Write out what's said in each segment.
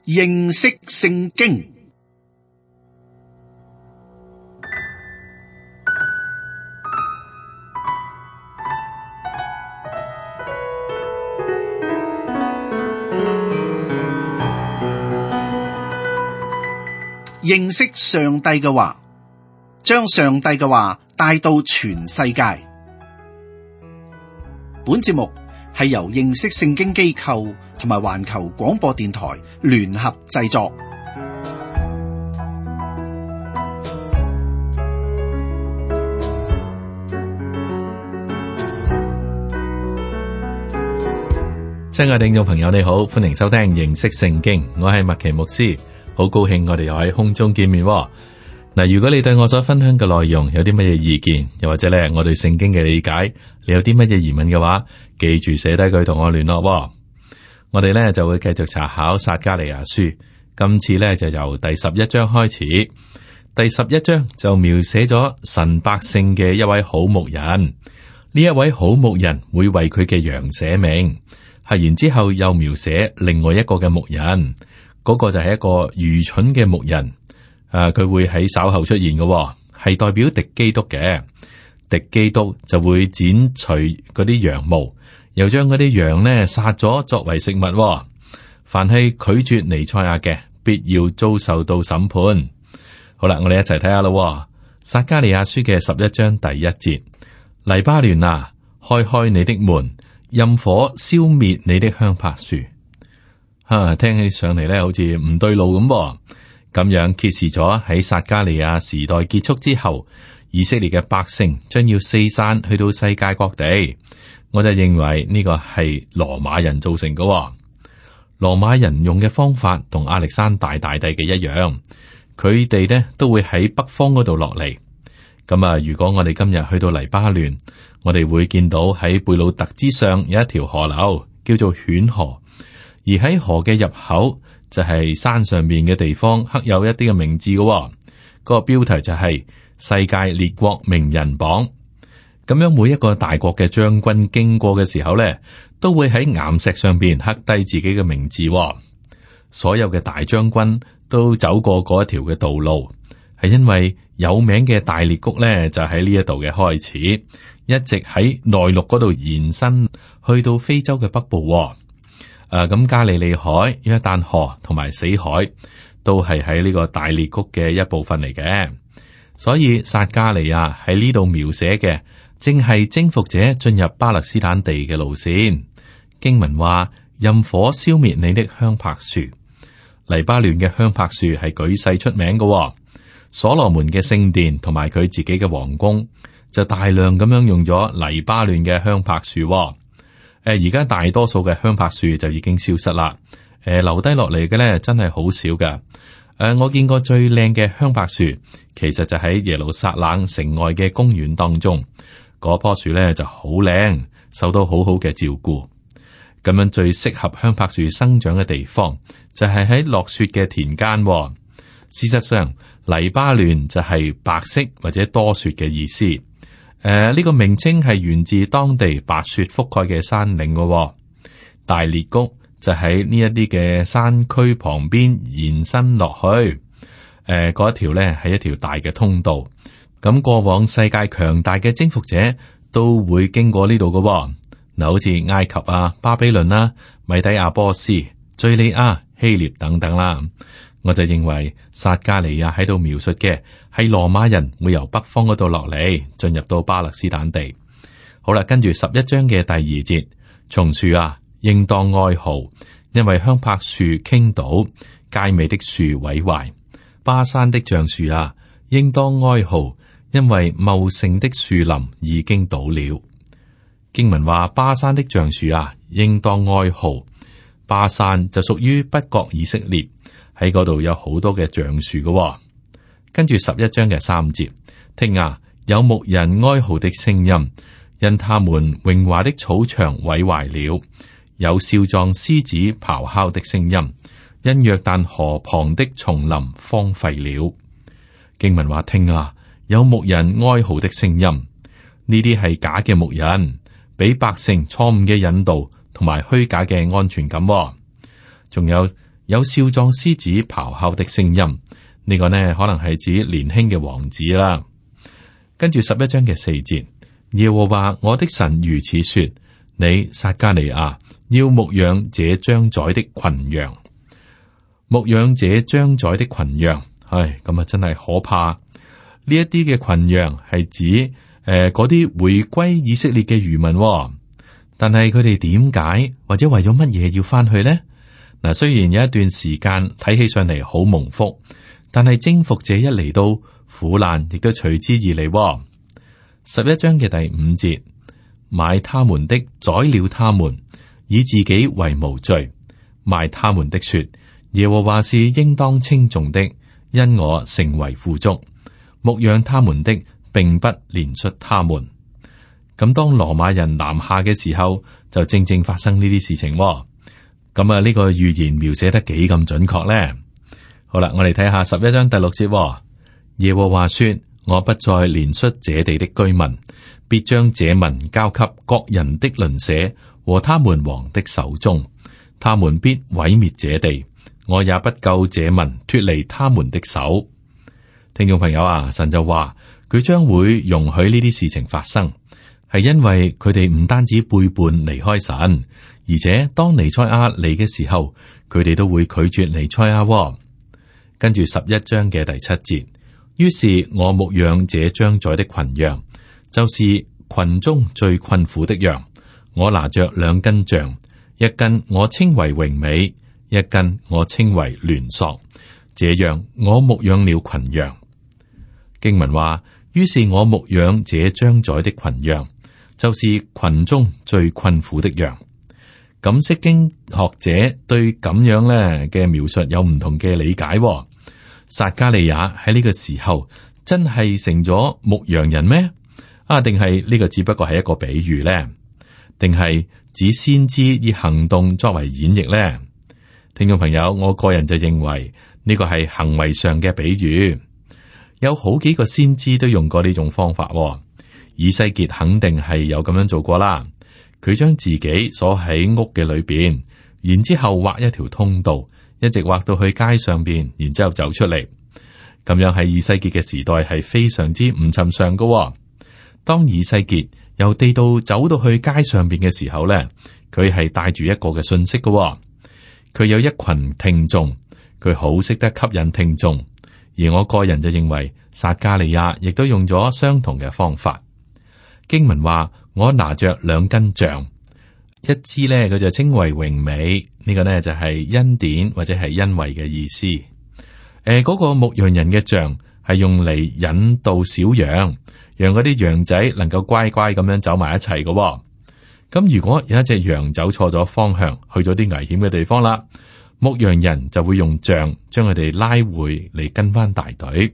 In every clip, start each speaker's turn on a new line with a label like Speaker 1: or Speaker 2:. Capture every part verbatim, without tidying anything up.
Speaker 1: 認識聖經。認識上帝嘅話，將上帝嘅話帶到全世界。本節目係由認識聖經機構同埋環球廣播電台聯合製作。
Speaker 2: 親愛的聽眾朋友，你好，歡迎收聽認識聖經，我係麥奇牧師。好高興我哋又喺空中見面喎。嗱，如果你對我所分享嘅內容有啲乜嘢意見，又或者咧我對聖經嘅理解，你有啲乜嘢疑問嘅話，記住寫低佢同我聯絡喎。我哋咧就會繼續查考撒迦利亞書，今次咧就由第十一章開始。第十一章就描寫咗神百姓嘅一位好牧人，呢一位好牧人會為佢嘅羊捨命，係然之後又描寫另外一個嘅牧人。嗰個就係一個愚蠢嘅牧人，啊，佢會喺稍後出現嘅，係代表敵基督嘅。敵基督就會剪除嗰啲羊毛，又將嗰啲羊呢殺咗作為食物。凡係拒絕彌賽亞嘅，必要遭受到審判。好啦，我哋一齊睇下咯。撒迦利亞書嘅十一章第一節：黎巴嫩啊，開開你的門，任火燒滅你的香柏樹。啊，聽起上嚟咧，好似唔對路咁。咁樣揭示咗喺撒迦利亞時代結束之後，以色列嘅百姓將要四散去到世界各地。我就認為呢個係羅馬人造成嘅。羅馬人用嘅方法同亞歷山大大帝嘅一樣，佢哋呢都會喺北方嗰度落嚟。咁啊，如果我哋今日去到黎巴嫩，我哋會見到喺貝魯特之上有一條河流，叫做犬河。而喺河嘅入口就係山上面嘅地方，刻有一啲嘅名字嘅、哦。嗰、那個標題就係世界列國名人榜。咁樣每一個大國嘅將軍經過嘅時候咧，都會喺岩石上邊刻低自己嘅名字、哦。所有嘅大將軍都走過嗰一條嘅道路，係因為有名嘅大裂谷咧就喺呢一度嘅開始，一直喺內陸嗰度延伸去到非洲嘅北部、哦。誒，咁、啊、加利利海、約旦河同埋死海都係喺呢個大裂谷嘅一部分嚟嘅，所以撒迦利亞喺呢度描寫嘅正係征服者進入巴勒斯坦地嘅路線。經文話：任火燒滅你的香柏樹。黎巴嫩嘅香柏樹係舉世出名嘅、哦，所羅門嘅聖殿同埋佢自己嘅皇宮就大量咁樣用咗黎巴嫩嘅香柏樹、哦。誒，而家大多數嘅香柏樹就已經消失啦。誒，留低落嚟嘅咧，真係好少噶。誒，我見過最靚嘅香柏樹，其實就喺耶路撒冷城外嘅公園當中。嗰棵樹咧就好靚，受到好好嘅照顧。咁樣最適合香柏樹生長嘅地方，就係喺落雪嘅田間。事實上，黎巴嫩就係白色或者多雪嘅意思。誒，呢、呃這個名稱係源自當地白雪覆蓋嘅山嶺嘅、哦，大裂谷就喺呢一啲嘅山區旁邊延伸落去。誒、呃，嗰一條咧係一條大嘅通道。咁過往世界強大嘅征服者都會經過呢度嘅。嗱，好似埃及啊、巴比倫啦、啊、米底亞波斯、敘利亞、希臘等等啦。我就認為撒迦利亞喺度描述嘅係羅馬人會由北方嗰度落嚟，進入到巴勒斯坦地。好啦，跟住十一章嘅第二節，松樹啊，應當哀號，因為香柏樹傾倒，佳美的樹毀壞。巴山的橡樹啊，應當哀號，因為茂盛的樹林已經倒了。經文話巴山的橡樹啊，應當哀號。巴山就屬於北國以色列。喺嗰度有好多嘅橡樹嘅。跟住十一章嘅三節，聽啊，有牧人哀號的聲音，因他們榮華的草場毀壞了；有少壯獅子咆哮的聲音，因約旦河旁的叢林荒廢了。經文話聽啊，有牧人哀號的聲音，呢啲係假嘅牧人，俾百姓錯誤嘅引導同埋虛假嘅安全感。仲有有少壯獅子咆哮的聲音，呢、這個呢可能係指年輕嘅王子啦。跟住十一章嘅四節，耶和華我的神如此說：你撒迦利亞要牧養這將宰的群羊，牧養這將宰的群羊。唉，咁啊真係可怕。呢一啲嘅群羊係指誒嗰啲回歸以色列嘅餘民、哦，但係佢哋點解或者為咗乜嘢要翻去呢？嗱，雖然有一段時間睇起上嚟好蒙福，但係征服者一嚟到，苦難亦都隨之而嚟、哦。十一章嘅第五節，買他們的宰了他們，以自己為無罪；賣他們的說，耶和華是應當稱頌的，因我成為富足。牧養他們的，並不憐恤他們。咁當羅馬人南下嘅時候，就正正發生呢啲事情、哦。咁啊，呢個預言描寫得幾咁準確咧？好啦，我哋睇下十一章第六節、哦。耶和華說：我不再憐恤這地的居民，必將這民交給各人的鄰舍和他們王的手中，他們必毀滅這地，我也不救這民脫離他們的手。聽眾朋友啊，神就話佢將會容許呢啲事情發生，係因為佢哋唔單止背叛離開神。而且當彌賽亞嚟嘅時候，佢哋都會拒絕彌賽亞、哦。跟住十一章嘅第七節，於是我牧養這將宰的群羊，就是群中最困苦的羊。我拿着兩根杖，一根我稱為榮美，一根我稱為聯索。這樣我牧養了群羊。經文話，於是我牧養這將宰的群羊，就是群中最困苦的羊。咁釋經學者對咁樣咧嘅描述有唔同嘅理解、哦。撒迦利亞喺呢個時候真係成咗牧羊人咩？啊，定係呢個只不過係一個比喻咧？定係指先知以行動作為演繹咧？聽眾朋友，我個人就認為呢個係行為上嘅比喻。有好幾個先知都用過呢種方法、哦。以西結肯定係有咁樣做過啦。佢將自己鎖喺屋嘅裏邊，然之後畫一條通道，一直畫到去街上邊，然之後走出嚟。咁樣喺以西結嘅時代係非常之唔尋常噶、哦。當以西結由地道走到去街上邊嘅時候咧，佢係帶住一個嘅信息噶、哦。佢有一群聽眾，佢好識得吸引聽眾。而我個人就認為撒迦利亞亦都用咗相同嘅方法。經文話，我拿着兩根杖，一支呢，佢就稱為榮美，呢、這個呢就係、是、恩典或者係恩惠嘅意思。誒、呃，嗰、那個牧羊人嘅杖係用嚟引導小羊，讓嗰啲羊仔能夠乖乖咁樣走埋一齊嘅、哦。咁如果有一隻羊走錯咗方向，去咗啲危險嘅地方啦，牧羊人就會用杖將佢哋拉回嚟跟翻大隊。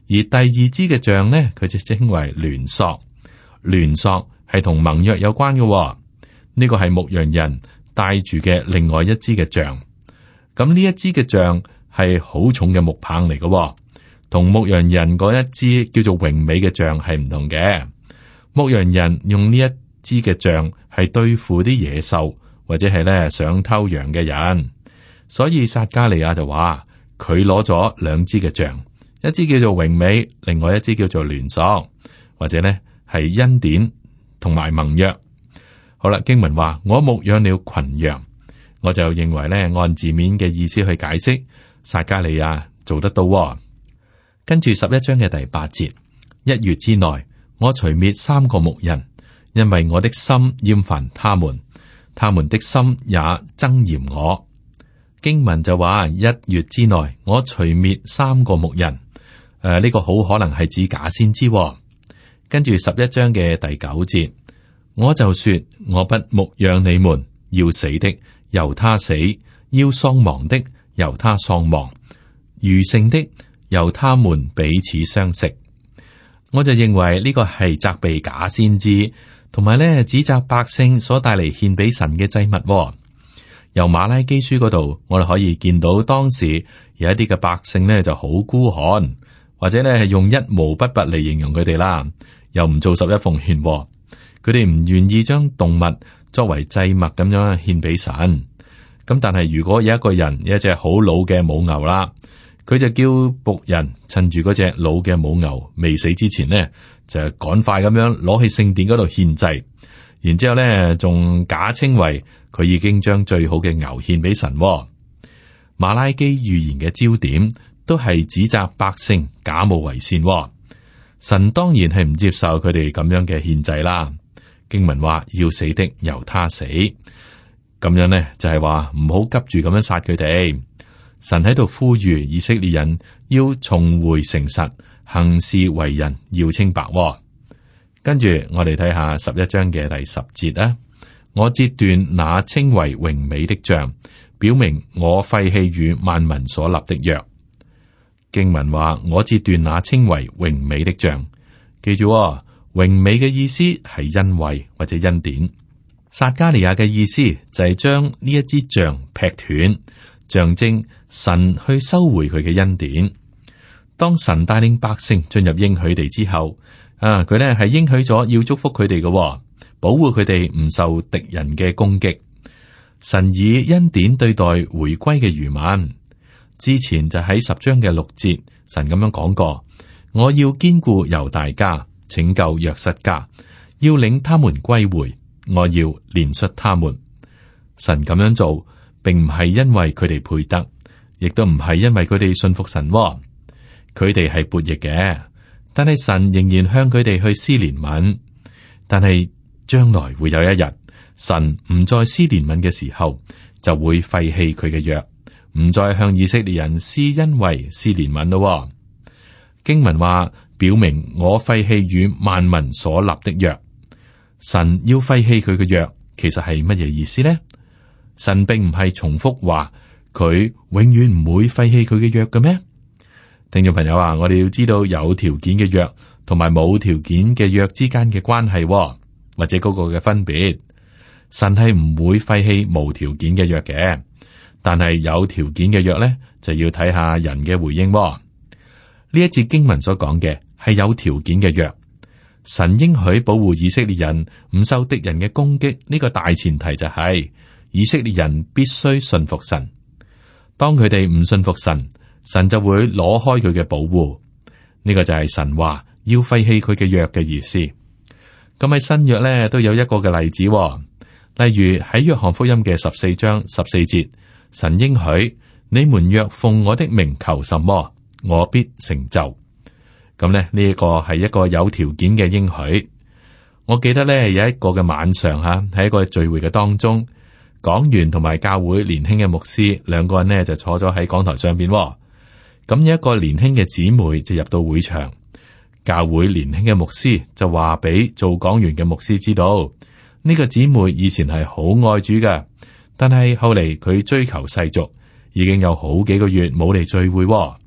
Speaker 2: 而第二支嘅杖呢，佢就稱為聯索，聯索。係同盟約有關嘅、哦，呢、這個係牧羊人帶住嘅另外一支嘅杖。咁呢一支嘅杖係好重嘅木棒嚟嘅、哦，同牧羊人嗰一支叫做榮美嘅杖係唔同嘅。牧羊人用呢一支嘅杖係對付啲野獸或者係咧想偷羊嘅人。所以撒迦利亞就話佢攞咗兩支嘅杖，一支叫做榮美，另外一支叫做聯索，或者咧係恩典。同埋盟約，好啦。經文話我牧養了群羊，我就認為咧按字面嘅意思去解釋，撒迦利亞做得到、哦。跟住十一章嘅第八節，一月之內，我除滅三個牧人，因為我的心厭煩他們，他們的心也憎厭我。經文就話一月之內，我除滅三個牧人，誒、呃、呢、這個好可能係指假先知、哦。跟住十一章嘅第九節，我就說我不牧養你們，要死的由他死，要喪亡的由他喪亡，餘剩的由他們彼此相食。我就認為呢個係責備假先知，同埋咧指責百姓所帶嚟獻俾神嘅祭物、哦。由馬拉基書嗰度，我哋可以見到當時有一啲嘅百姓咧就好孤寒，或者咧係用一毛不拔嚟形容佢哋啦。又唔做十一奉獻，佢哋唔願意將動物作為祭物咁樣獻俾神。咁但係如果有一個人有一隻好老嘅母牛啦，佢就叫僕人趁住嗰隻老嘅母牛未死之前呢，就趕快咁樣攞去聖殿嗰度獻祭，然之後咧仲假稱為佢已經將最好嘅牛獻俾神。馬拉基預言嘅焦點都係指責百姓假冒為善。神當然係唔接受佢哋咁樣嘅獻祭啦。經文話要死的由他死，咁樣呢就係話唔好急住咁樣殺佢哋。神喺度呼籲以色列人要重回誠實，行事為人要清白。跟住我哋睇下十一章嘅第十節啊，我截斷那稱為榮美的杖，表明我廢棄與萬民所立的約。經文話我截斷那稱為榮美的杖，記住喎，榮美嘅意思係恩惠或者恩典。撒迦利亞嘅意思就係將呢一支杖劈斷，象徵神去收回佢嘅恩典。當神帶領百姓進入應許地之後，啊，佢呢係應許咗要祝福佢哋嘅，保護佢哋唔受敵人嘅攻擊。神以恩典對待回歸嘅餘民。之前就喺十章嘅六節，神咁樣講過：我要堅固猶大家，拯救約瑟家，要領他們歸回，我要憐恤他們。神咁樣做，並唔係因為佢哋配得，亦都唔係因為佢哋信服神。佢哋係悖逆嘅，但係神仍然向佢哋去施憐憫。但係將來會有一日，神唔再施憐憫嘅時候，就會廢棄佢嘅約，唔再向以色列人施恩惠、施憐憫咯。經文話，表明我廢棄與萬民所立的約。神要廢棄佢嘅約，其實係乜嘢意思呢？神並唔係重複話佢永遠唔會廢棄佢嘅約嘅咩？聽眾朋友啊，我哋要知道有條件嘅約同埋冇條件嘅約之間嘅關係，或者嗰個嘅分別。神係唔會廢棄無條件嘅約嘅，但係有條件嘅約咧，就要睇下人嘅回應。呢一節經文所講嘅係有條件嘅約，神應許保護以色列人唔受敵人嘅攻擊，呢個大前提就係以色列人必須信服神。當佢哋唔信服神，神就會攞開佢嘅保護。呢個就係神話要廢棄佢嘅約嘅意思。咁喺新約咧都有一個嘅例子，例如喺約翰福音嘅十四章十四節，神應許你們若奉我的名求什麼，我必成就。咁咧呢一個係一個有條件嘅應許。我記得咧有一個嘅晚上吓，喺一個聚會嘅當中，講員同埋教會年輕嘅牧師兩個人呢就坐咗喺講台上邊。咁有一個年輕嘅姊妹就入到會場，教會年輕嘅牧師就話俾做講員嘅牧師知道，呢個姊妹以前係好愛主嘅，但係後嚟佢追求世俗，已經有好幾個月冇嚟聚會。咁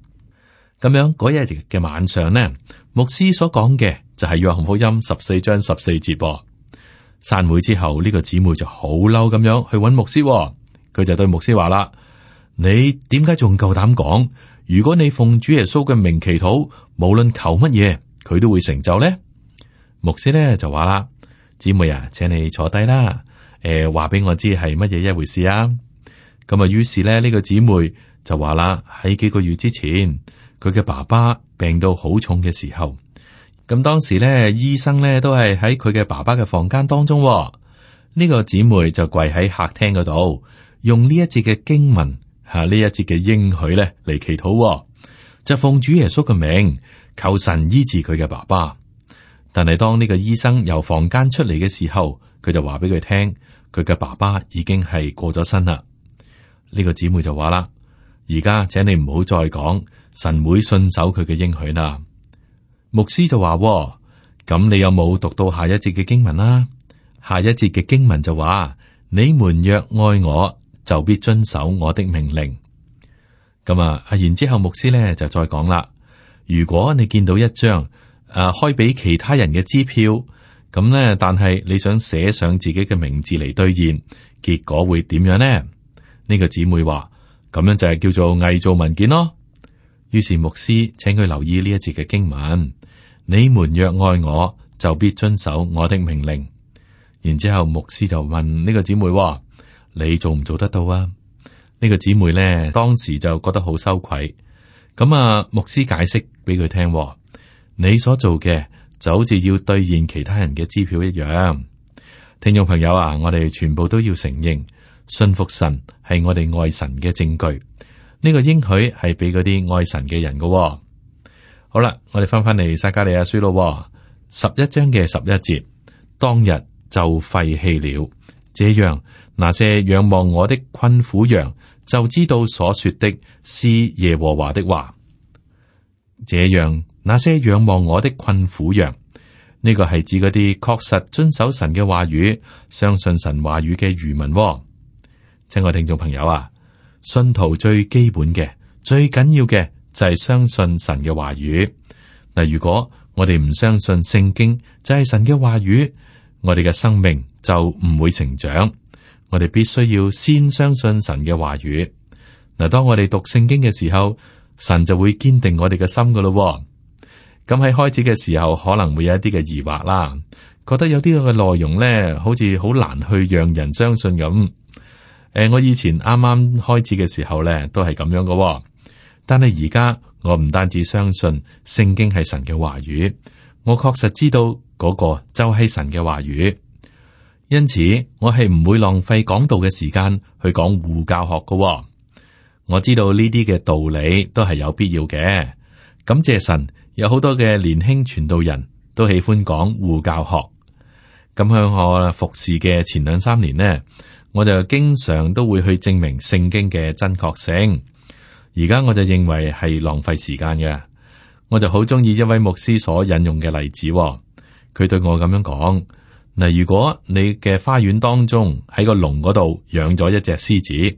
Speaker 2: 樣嗰日嘅晚上呢，牧師所講嘅就係約翰福音十四章十四節。散會之後，呢個姊妹就好嬲咁樣去揾牧師，佢就對牧師話啦：你點解仲夠膽講？如果你奉主耶穌嘅名祈禱，無論求乜嘢，佢都會成就呢？牧師咧就話啦：姊妹啊，請你坐低啦。誒、呃，話俾我知係乜嘢一回事啊？咁啊，於是咧呢、這個姊妹就話啦：喺幾個月之前，佢嘅爸爸病到好重嘅時候，咁當時咧醫生咧都係喺佢嘅爸爸嘅房間當中。呢、這個姊妹就跪喺客廳嗰度，用呢一節嘅經文。吓，呢一節嘅應許咧嚟祈禱，就奉主耶穌嘅名求神醫治佢嘅爸爸。但係當呢個醫生由房間出嚟嘅時候，佢就話俾佢聽，佢嘅爸爸已經係過咗身啦。呢個姊妹就話啦：而家請你唔好再講，神會信守佢嘅應許啦。牧師就話：咁你有冇讀到下一節嘅經文啦？下一節嘅經文就話：你們若愛我，就必遵守我的命令。咁啊，然之後牧師咧就再講啦。如果你見到一張誒、啊、開俾其他人嘅支票，咁咧，但係你想寫上自己嘅名字嚟兌現，結果會點樣呢？呢、這個姊妹話：咁樣就係叫做偽造文件咯。於是牧師請佢留意呢一節嘅經文：你們若愛我，就必遵守我的命令。然之後牧師就問呢個姊妹：你做唔做得到啊？呢個姊妹呢，當時就覺得好羞愧。咁啊，牧師解釋俾佢聽，你所做嘅就好似要兌現其他人嘅支票一樣。聽眾朋友啊，我哋全部都要承認，信服神係我哋愛神嘅證據。呢個應許係俾嗰啲愛神嘅人嘅。好啦，我哋翻翻嚟撒迦利亞書咯，十一章嘅十一節，當日就廢棄了。這樣，那些仰望我的困苦羊就知道所說的是耶和華的話。這樣，那些仰望我的困苦羊，呢個係指嗰啲確實遵守神嘅話語、相信神話語嘅餘民。親愛聽眾朋友啊，信徒最基本嘅、最緊要嘅就係相信神嘅話語。嗱，如果我哋唔相信聖經就係神嘅話語，我哋嘅生命就唔會成長。我哋必須要先相信神嘅話語。嗱，當我哋讀聖經嘅時候，神就會堅定我哋嘅心噶咯。咁喺開始嘅時候，可能會有一啲嘅疑惑啦，覺得有啲嘅內容咧，好似好難去讓人相信咁。誒、呃，我以前啱啱開始嘅時候咧，都係咁樣噶。但係而家我唔單止相信聖經係神嘅話語，我確實知道嗰個就係神嘅話語。因此，我係唔會浪費講道嘅時間去講護教學噶。我知道呢啲嘅道理都係有必要嘅。感謝神，有好多嘅年輕傳道人都喜歡講護教學。咁喺我服侍嘅前兩三年呢，我就經常都會去證明聖經嘅真確性。而家我就認為係浪費時間嘅。我就好中意一位牧師所引用嘅例子。佢對我咁樣講：嗱，如果你嘅花園當中喺個籠嗰度養咗一隻獅子，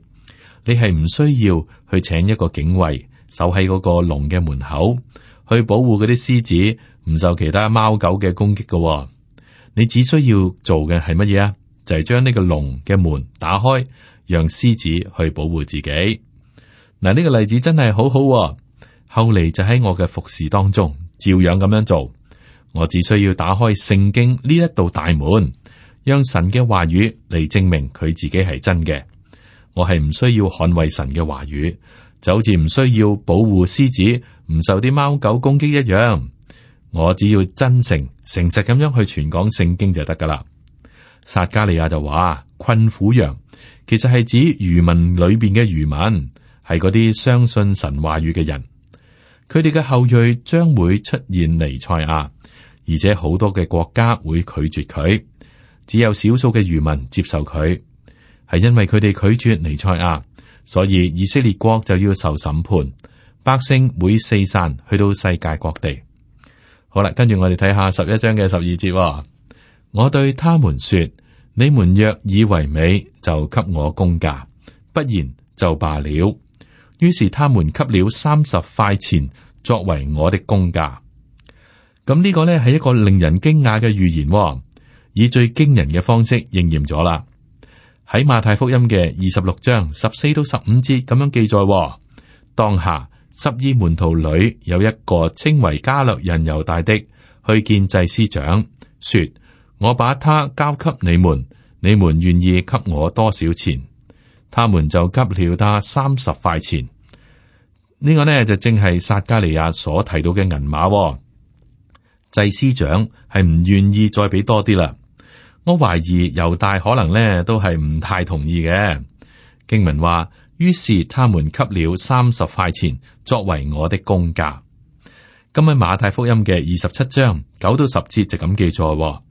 Speaker 2: 你係唔需要去請一個警衛守喺嗰個籠嘅門口，去保護嗰啲獅子唔受其他貓狗嘅攻擊嘅。你只需要做嘅係乜嘢啊？就係將呢個籠嘅門打開，讓獅子去保護自己。嗱，呢個例子真係好好。後嚟就喺我嘅服侍當中，照樣咁樣做。我只需要打開聖經呢一道大門，讓神嘅話語嚟證明佢自己係真嘅。我係唔需要捍衛神嘅話語，就好似唔需要保護獅子唔受啲貓狗攻擊一樣。我只要真誠誠實咁樣去傳講聖經就得噶啦。撒迦利亞就話：困苦羊其實係指餘民裏邊嘅餘民，係嗰啲相信神話語嘅人。佢哋嘅後裔將會出現彌賽亞，而且好多嘅國家會拒絕佢，只有少數嘅餘民接受佢。係因為佢哋拒絕彌賽亞，所以以色列國就要受審判，百姓會四散去到世界各地。好啦，跟住我哋睇下十一章嘅十二節。我對他們說：你們若以為美，就給我工價；不然就罷了。於是他們給了三十塊錢作為我的工價。咁呢個呢係一個令人驚訝嘅預言，以最驚人嘅方式應驗咗啦。喺馬太福音嘅二十六章十四到十五節咁樣記載：當下十二門徒裏有一個稱為加略人猶大的，去見祭司長，說：我把他交給你們，你們願意給我多少錢？他們就給了他三十塊錢。呢、這個呢就正係撒迦利亞所提到嘅銀碼。祭司長係唔願意再俾多啲啦。我懷疑猶大可能呢都係唔太同意嘅。經文話，於是他們給了三十塊錢作為我的工價。咁喺馬太福音嘅二十七章九到十節就咁記載，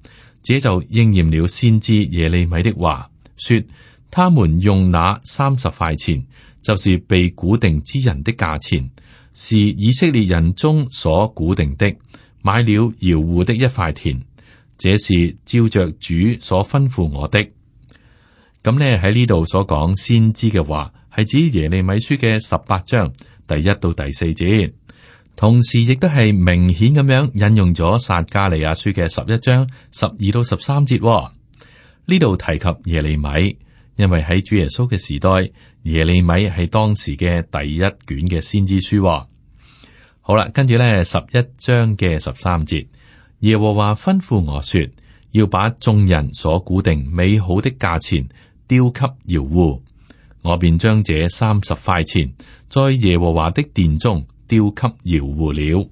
Speaker 2: 這就應驗了先知耶利米的話，說他們用那三十塊錢，就是被估定之人的價錢，是以色列人中所估定的，買了窯戶的一塊田。這是照着主所吩咐我的。咁呢喺呢度所講先知嘅話，係指耶利米書嘅十八章第一到第四節，同時亦都係明顯咁樣引用咗撒迦利亞書嘅十一章十二到十三節。呢度提及耶利米，因為喺主耶穌嘅時代，耶利米係當時嘅第一卷嘅先知書。好啦，跟住呢十一章嘅十三節。耶和華吩咐我說，要把眾人所估定美好的價錢丟給窯戶。我便將這三十塊錢在耶和華的殿中丟給窯戶了。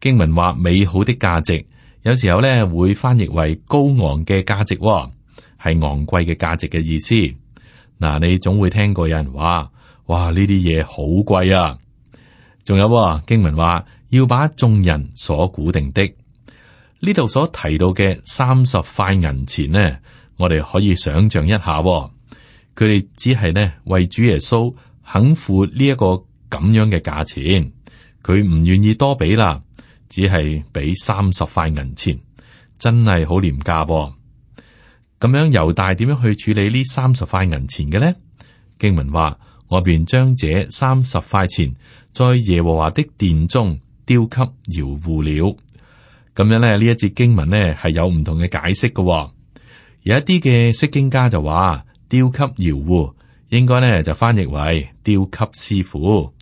Speaker 2: 經文話美好的價值，有時候咧會翻譯為高昂嘅價值，係昂貴嘅價值嘅意思。嗱，你總會聽過有人話，哇，呢啲嘢好貴啊！仲有經文話要把眾人所估定的，呢度所提到嘅三十塊銀錢呢，我哋可以想象一下，佢哋只係呢為主耶穌肯付呢一個咁樣嘅價錢，佢唔願意多俾啦，只係俾三十塊銀錢，真係好廉價噃。咁樣猶大點樣去處理呢三十塊銀錢嘅呢？經文話，我便將這三十塊錢在耶和華的殿中丟給窯戶了。咁樣咧，呢一節經文呢係有唔同嘅解釋嘅。有一啲嘅釋經家就話丟給窯戶，應該呢就翻譯為丟給師傅。誒、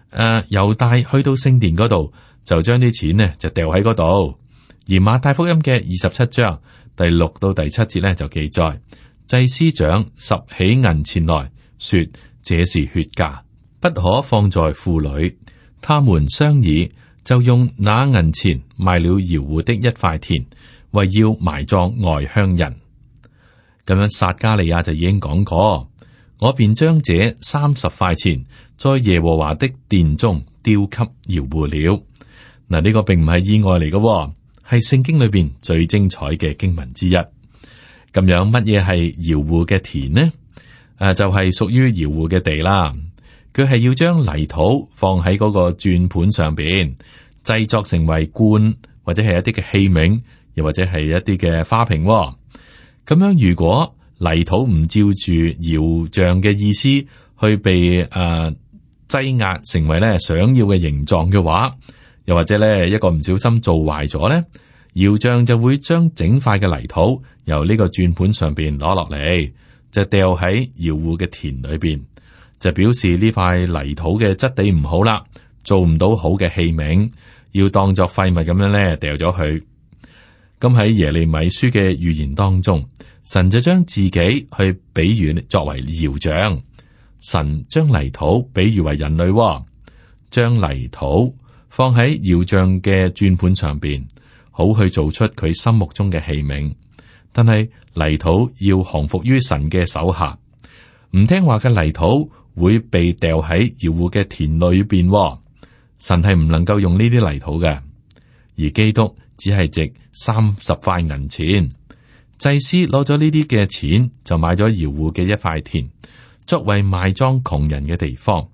Speaker 2: 呃，猶大去到聖殿嗰度，就將啲錢呢就掉喺嗰度。而馬太福音嘅二十七章第六到第七節呢，就記載，祭司長拾起銀錢來說，這是血價，不可放在庫裏。他們商議，就用那銀錢賣了窯戶的一塊田，為要埋葬外鄉人。咁樣撒迦利亞就已經講過，我便將這三十塊錢在耶和華的殿中丟給窯戶了。嗱，呢個並唔係意外嚟嘅，係聖經裏邊最精彩嘅經文之一。咁樣乜嘢係窯戶嘅田呢？誒，就係屬於窯戶嘅地啦。佢係要將泥土放喺嗰個轉盤上邊，製作成為罐或者係一啲嘅器皿，又或者係一啲嘅花瓶。咁樣如果泥土唔照住窯匠嘅意思去被誒擠壓成為咧想要嘅形狀嘅話，又或者咧一個唔小心做壞咗咧，窯匠就會將整塊嘅泥土由呢個轉盤上邊攞落嚟，就掉喺窯戶嘅田裏邊，就表示呢塊泥土嘅質地唔好啦，做唔到好嘅器皿，要當作廢物咁樣咧掉咗佢。咁喺耶利米書嘅預言當中，神就將自己去比喻作為窯匠，神將泥土比喻為人類，將泥土放喺窯匠嘅轉盤上邊，好去做出佢心目中嘅器皿。但係泥土要降服於神嘅手下，唔聽話嘅泥土會被掉喺窯戶嘅田裏邊。神係唔能夠用呢啲泥土嘅，而基督只係值三十塊銀錢。祭司攞咗呢啲嘅錢，就買咗窯戶嘅一塊田，作為埋葬窮人嘅地方。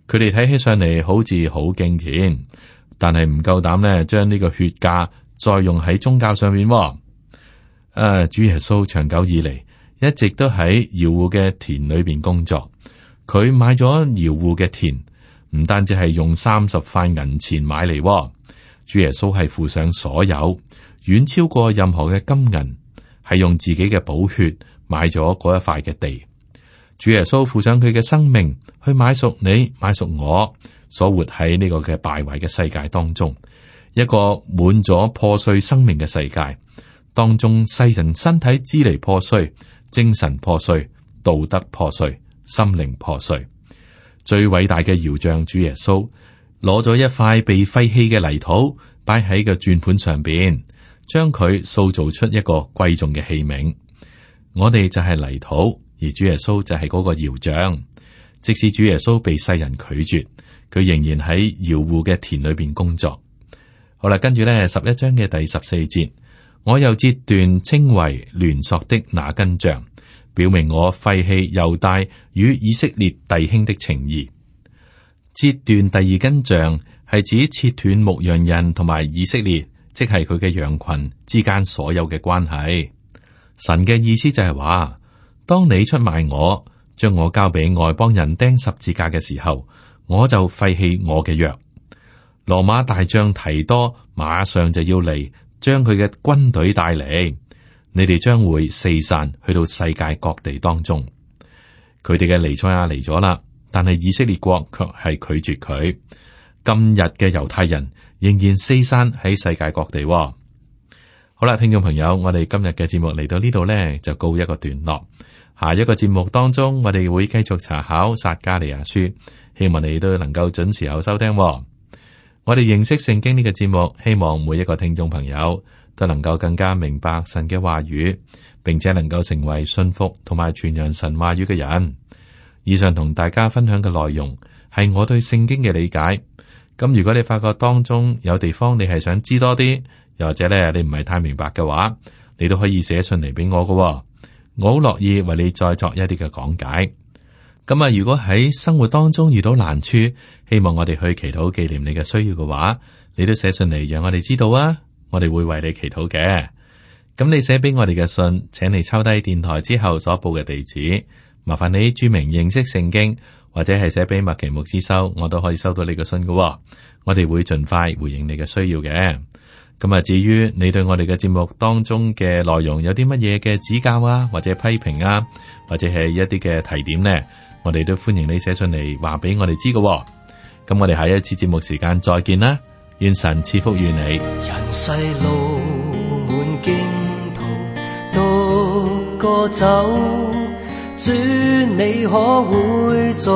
Speaker 2: 佢哋睇起上嚟好似好敬虔，但係唔夠膽咧將呢個血價再用喺宗教上面。誒、啊，主耶穌長久以嚟一直都喺窯戶嘅田裏邊工作。佢買咗窯戶嘅田，唔單止係用三十塊銀錢買嚟，主耶穌係付上所有，遠超過任何嘅金銀，係用自己嘅寶血買咗嗰一塊嘅地。主耶穌付上佢嘅生命去買贖你，買贖我，所活喺呢個嘅敗壞嘅世界當中，一個滿咗破碎生命嘅世界當中，世人身體支離破碎，精神破碎，道德破碎，心靈破碎。最偉大嘅窯匠主耶穌攞咗一塊被廢棄嘅泥土擺喺個轉盤上邊，將佢塑造出一個貴重嘅器皿。我哋就係泥土，而主耶穌就係嗰個窯匠。即使主耶穌被世人拒絕，佢仍然喺窯戶嘅田裏邊工作。好啦，跟住咧十一章嘅第十四節，我又折斷稱為聯索的那根杖，表明我廢棄猶大與以色列弟兄的情誼。折斷第二根杖係指切斷牧羊人同埋以色列，即係佢嘅羊群之間所有嘅關係。神嘅意思就係話，當你出賣我，將我交俾外邦人釘十字架嘅時候，我就廢棄我嘅約。羅馬大將提多馬上就要嚟，將佢嘅軍隊帶嚟，你哋將會四散去到世界各地當中。佢哋嘅彌賽亞嚟咗啦，但係以色列國卻係拒絕佢。今日嘅猶太人仍然四散喺世界各地。好啦，聽眾朋友，我哋今日嘅節目嚟到呢度呢，就告一個段落。下一個節目當中，我哋會繼續查考撒迦利亞書，希望你都能夠準時有收聽喎。我哋認識聖經呢個節目，希望每一個聽眾朋友都能夠更加明白神嘅話語，並且能夠成為信服同埋傳揚神話語嘅人。以上同大家分享嘅內容係我對聖經嘅理解。咁如果你發覺當中有地方你係想知多啲，又或者咧你唔係太明白嘅話，你都可以寫信嚟俾我㗎喎。我好樂意為你再作一啲嘅講解。咁啊，如果喺生活當中遇到難處，希望我哋去祈禱紀念你嘅需要嘅話，你都寫信嚟讓我哋知道啊，我哋會為你祈禱嘅。咁你寫俾我哋嘅信，請你抄低電台之後所報嘅地址，麻煩你注明認識聖經，或者係寫俾麥奇牧師收，我都可以收到你嘅信㗎喎。我哋會盡快回應你嘅需要嘅。咁啊，至於你對我哋嘅節目當中嘅內容有啲乜嘢嘅指教啊，或者批評啊，或者係一啲嘅提點呢，我哋都歡迎你寫信嚟話俾我哋知㗎。咁我哋下一次節目時間再見啦，願神賜福於你。
Speaker 3: 人世路滿驚途，獨個走，主你可會在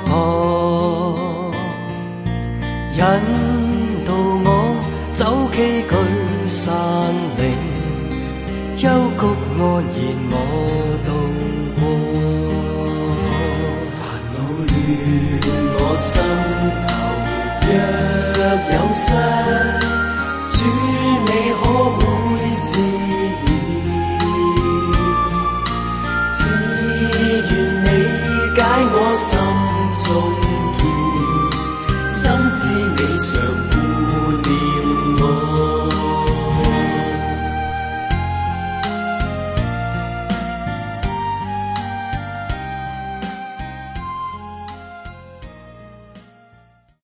Speaker 3: 旁引導我走崎嶇山嶺，幽谷安然我渡過，煩惱亂我心頭，若有失，主你可會治療？只願你解我心中結，深知你常顧念。